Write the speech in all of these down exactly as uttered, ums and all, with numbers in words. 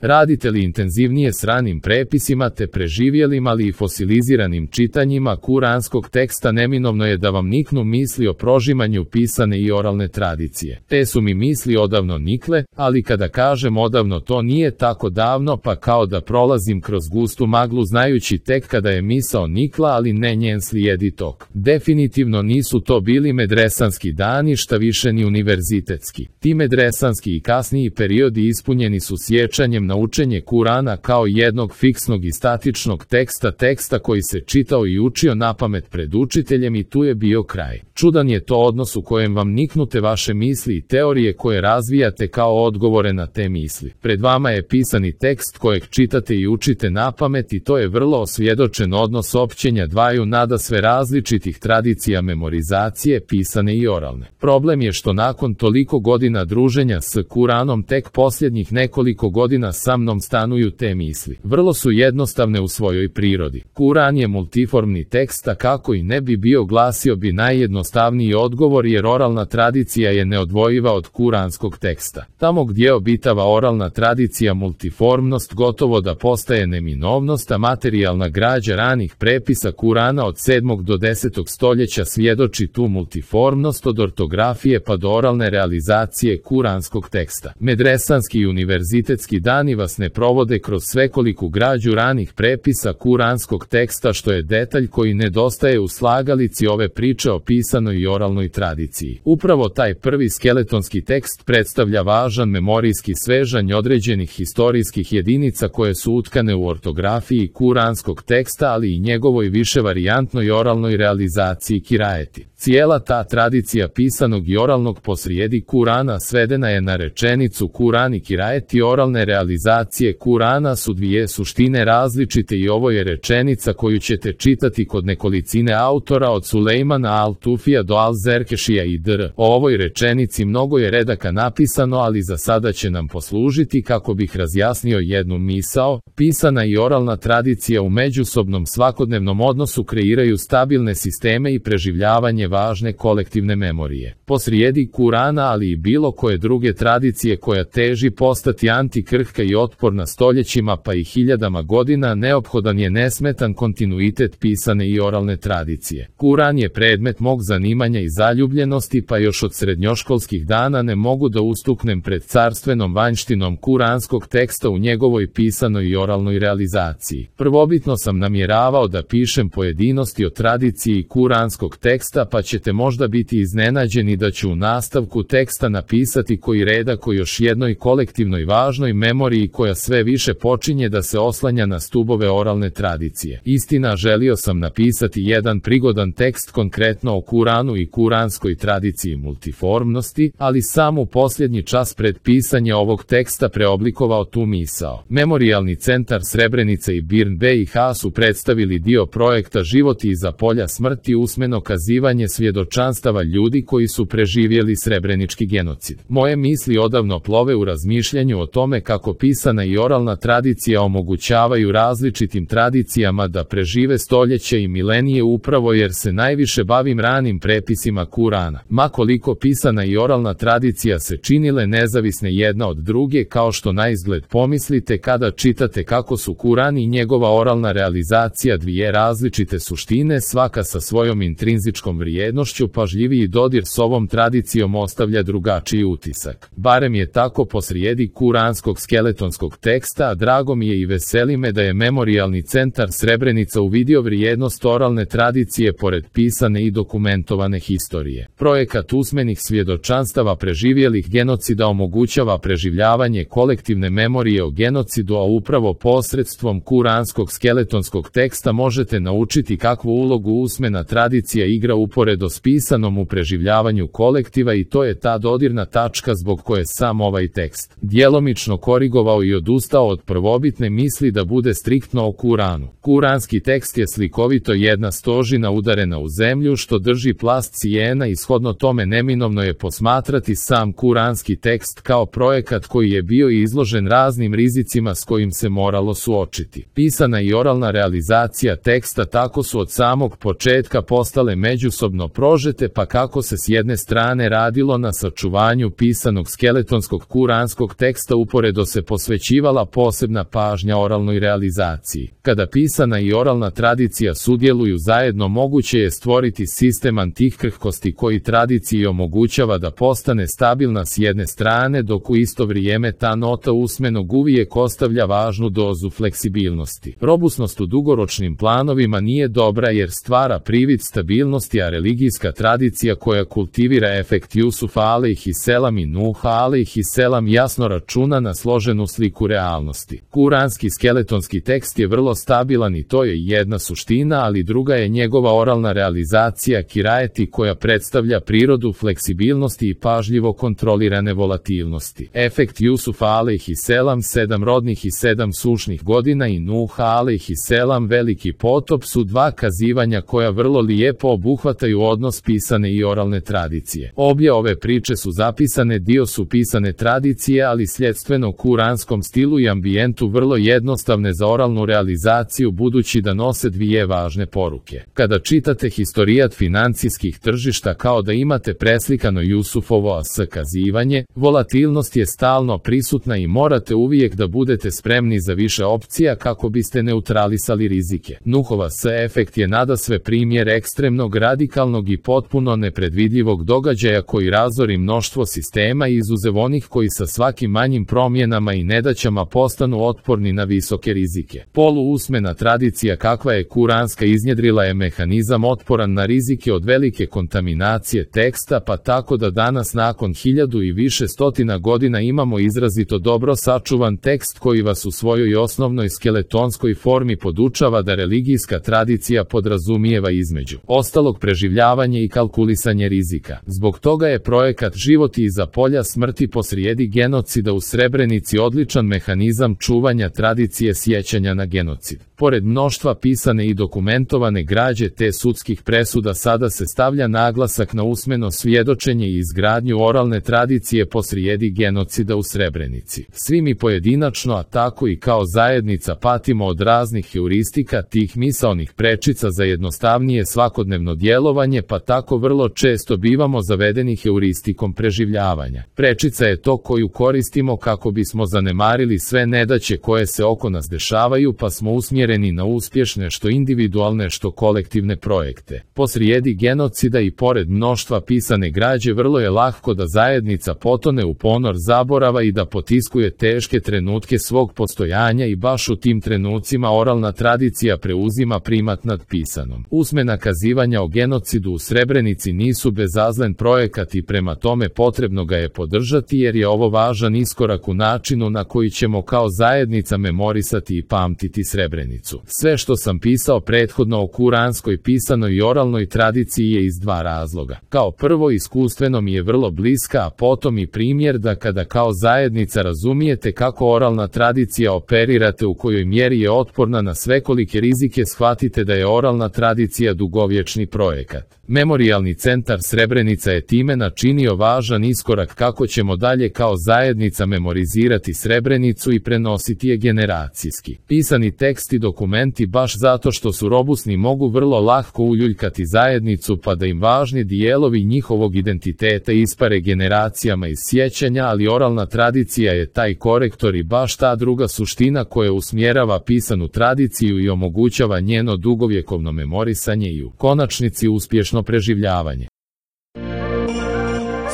Radite li intenzivnije s ranim prepisima te preživjelim ali i fosiliziranim čitanjima kuranskog teksta, neminovno je da vam niknu misli o prožimanju pisane i oralne tradicije. Te su mi misli odavno nikle, ali kada kažem odavno to nije tako davno, pa kao da prolazim kroz gustu maglu znajući tek kada je misao nikla, ali ne njen slijedi tok. Definitivno nisu to bili medresanski dani, šta više ni univerzitetski. Ti medresanski i kasniji periodi ispunjeni su sjećanjem na učenje Kurana kao jednog fiksnog i statičnog teksta, teksta koji se čitao i učio napamet pred učiteljem i tu je bio kraj. Čudan je to odnos u kojem vam niknute vaše misli i teorije koje razvijate kao odgovore na te misli. Pred vama je pisani tekst kojeg čitate i učite napamet i to je vrlo osvjedočen odnos općenja dvaju nadasve različitih tradicija memorizacije, pisane i oralne. Problem je što nakon toliko godina druženja s Kuranom tek posljednjih nekoliko godina sa mnom stanuju te misli. Vrlo su jednostavne u svojoj prirodi. Kuran je multiformni tekst, a kako i ne bi bio, glasio bi najjednostavniji odgovor, jer oralna tradicija je neodvojiva od kuranskog teksta. Tamo gdje obitava oralna tradicija, multiformnost gotovo da postaje neminovnost, a materijalna građa ranih prepisa Kurana od sedmog do desetog stoljeća svjedoči tu multiformnost od ortografije pa do oralne realizacije kuranskog teksta. Medresanski i univerzitetski dani vas ne provode kroz svekoliku građu ranih prepisa kuranskog teksta, što je detalj koji nedostaje u slagalici ove priče o pisanoj i oralnoj tradiciji. Upravo taj prvi skeletonski tekst predstavlja važan memorijski svežanj određenih historijskih jedinica koje su utkane u ortografiji kuranskog teksta, ali i njegovoj viševarijantnoj oralnoj realizaciji kirajeti. Cijela ta tradicija pisanog i oralnog posrijedi Kurana svedena je na rečenicu Kuran i kirajeti. Oralne realizacije Kurana su dvije suštine različite i ovo je rečenica koju ćete čitati kod nekolicine autora od Sulejmana al-Tufija do al-Zerkešija i dr. O ovoj rečenici mnogo je redaka napisano, ali za sada će nam poslužiti kako bih razjasnio jednu misao. Pisana i oralna tradicija u međusobnom svakodnevnom odnosu kreiraju stabilne sisteme i preživljavanje važne kolektivne memorije. Posrijedi Kurana, ali i bilo koje druge tradicije koja teži postati antikrhka i otporna stoljećima pa i hiljadama godina, neophodan je nesmetan kontinuitet pisane i oralne tradicije. Kuran je predmet mog zanimanja i zaljubljenosti, pa još od srednjoškolskih dana ne mogu da ustuknem pred carstvenom vanjštinom kuranskog teksta u njegovoj pisanoj i oralnoj realizaciji. Prvobitno sam namjeravao da pišem pojedinosti o tradiciji kuranskog teksta, pa ćete možda biti iznenađeni da ću u nastavku teksta napisati koji redak o još jednoj kolektivnoj važnoj memoriji koja sve više počinje da se oslanja na stubove oralne tradicije. Istina, želio sam napisati jedan prigodan tekst konkretno o Kuranu i kuranskoj tradiciji multiformnosti, ali sam u posljednji čas pred pisanje ovog teksta preoblikovao tu misao. Memorijalni centar Srebrenica i Birn B i H su predstavili dio projekta Životi iza polja smrti, usmeno kazivanje svjedočanstava ljudi koji su preživjeli srebrenički genocid. Moje misli odavno plove u razmišljanju o tome kako pisana i oralna tradicija omogućavaju različitim tradicijama da prežive stoljeće i milenije, upravo jer se najviše bavim ranim prepisima Kurana. Ma koliko pisana i oralna tradicija se činile nezavisne jedna od druge, kao što na izgled pomislite kada čitate kako su Kuran i njegova oralna realizacija dvije različite suštine, svaka sa svojom intrinzičkom vrijednošću, pažljiviji dodir s ovom tradicijom ostavlja drugačiji utisak. Barem je tako posrijedi kuranskog skeletonskog teksta, a drago mi je i veseli me da je Memorijalni centar Srebrenica uvidio vrijednost oralne tradicije pored pisane i dokumentovane historije. Projekat usmenih svjedočanstava preživjelih genocida omogućava preživljavanje kolektivne memorije o genocidu, a upravo posredstvom kuranskog skeletonskog teksta možete naučiti kakvu ulogu usmena tradicija igra uporedo s pisanom u preživljavanju kolektiva, i to je ta dodirna tačka zbog koje sam ovaj tekst djelomično korigovao i odustao od prvobitne misli da bude striktno o Kuranu. Kuranski tekst je slikovito jedna stožina udarena u zemlju što drži plast cijena, i shodno tome neminovno je posmatrati sam kuranski tekst kao projekat koji je bio izložen raznim rizicima s kojim se moralo suočiti. Pisana i oralna realizacija teksta tako su od samog početka postale međusobno prožete, pa kako se s jedne strane radilo na sačuvanju pisanog skeletonskog kuranskog teksta, uporedo se posvećivala posebna pažnja oralnoj realizaciji. Kada pisana i oralna tradicija sudjeluju zajedno, moguće je stvoriti sistem antikrhkosti koji tradiciji omogućava da postane stabilna s jedne strane, dok u isto vrijeme ta nota usmenog uvijek ostavlja važnu dozu fleksibilnosti. Robusnost u dugoročnim planovima nije dobra jer stvara privid stabilnosti, a religijska tradicija koja kultivira efekt Jusufa alejhiselam i Nuha alejhiselam jasno računa na složenu sliku realnosti. Kuranski skeletonski tekst je vrlo stabilan i to je jedna suština, ali druga je njegova oralna realizacija kirajeti koja predstavlja prirodu fleksibilnosti i pažljivo kontrolirane volatilnosti. Efekt Jusufa alejhiselam sedam rodnih i sedam sušnih godina i Nuha alejhiselam veliki potop su dva kazivanja koja vrlo lijepo obuhvataju odnos pisane i oralne tradicije. Obje ove priče su zapisane, dio su pisane tradicije, ali sljedstveno kuranskom stilu i ambijentu vrlo jednostavne za oralnu realizaciju, budući da nose dvije važne poruke. Kada čitate historijat financijskih tržišta, kao da imate preslikano Jusufovo as kazivanje, volatilnost je stalno prisutna i morate uvijek da budete spremni za više opcija kako biste neutralisali rizike. Nuhova s efekt je nadasve primjer ekstremnog, radikalnog i potpuno nepredvidljivog događaja koji razori mnoštvo sistema, izuzev onih koji sa svakim manjim promjenama i nedaćama postanu otporni na visoke rizike. Poluusmena tradicija kakva je kuranska iznjedrila je mehanizam otporan na rizike od velike kontaminacije teksta, pa tako da danas nakon hiljadu i više stotina godina imamo izrazito dobro sačuvan tekst koji vas u svojoj osnovnoj skeletonskoj formi podučava da religijska tradicija podrazumijeva između ostalog preživljavanje i kalkulisanje rizika. Zbog toga je projekat Životi iza polja smrti posrijedi genocida u Srebrenici odličan mehanizam čuvanja tradicije sjećanja na genocid. Pored mnoštva pisane i dokumentovane građe te sudskih presuda, sada se stavlja naglasak na usmeno svjedočenje i izgradnju oralne tradicije posrijedi genocida u Srebrenici. Svi mi pojedinačno, a tako i kao zajednica, patimo od raznih heuristika, tih misaonih prečica za jednostavnije svakodnevno djelovanje, pa tako vrlo često bivamo zavedeni heuristikom preživljavanja. Prečica je to koju koristimo kako bismo zanemarili sve nedaće koje se oko nas dešavaju, pa smo usmjereni na uspješne što individualne što kolektivne projekte. Posrijedi genocida i pored mnoštva pisane građe vrlo je lahko da zajednica potone u ponor zaborava i da potiskuje teške trenutke svog postojanja, i baš u tim trenucima oralna tradicija preuzima primat nad pisanom. Usmena kazivanja o genocidu u Srebrenici nisu bezazlen projekat i prema tome potrebno ga je podržati, jer je ovo važan iskorak u načinu na koji ćemo kao zajednica memorisati i pamtiti Srebrenicu. Sve što sam pisao prethodno o kuranskoj pisanoj i oralnoj tradiciji je iz dva razloga. Kao prvo, iskustveno mi je vrlo bliska, a potom i primjer da kada kao zajednica razumijete kako oralna tradicija operirate, u kojoj mjeri je otporna na svekolike rizike, shvatite da je oralna tradicija dugovječni projekat. Memorijalni centar Srebrenica je time načinio važan iskorak kako ćemo dalje kao zajednica memorizirati Srebrenicu i prenositi je generacijski. Pisani tekst i dokumenti, baš zato što su robusni, mogu vrlo lahko uljuljkati zajednicu, pa da im važni dijelovi njihovog identiteta ispare generacijama iz sjećanja, ali oralna tradicija je taj korektor i baš ta druga suština koja usmjerava pisanu tradiciju i omogućava njeno dugovjekovno memorisanje i u konačnici uspješno preživljavanje.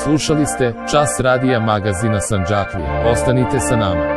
Slušali ste Čas radija magazina Sandžaklija. Ostanite sa nama.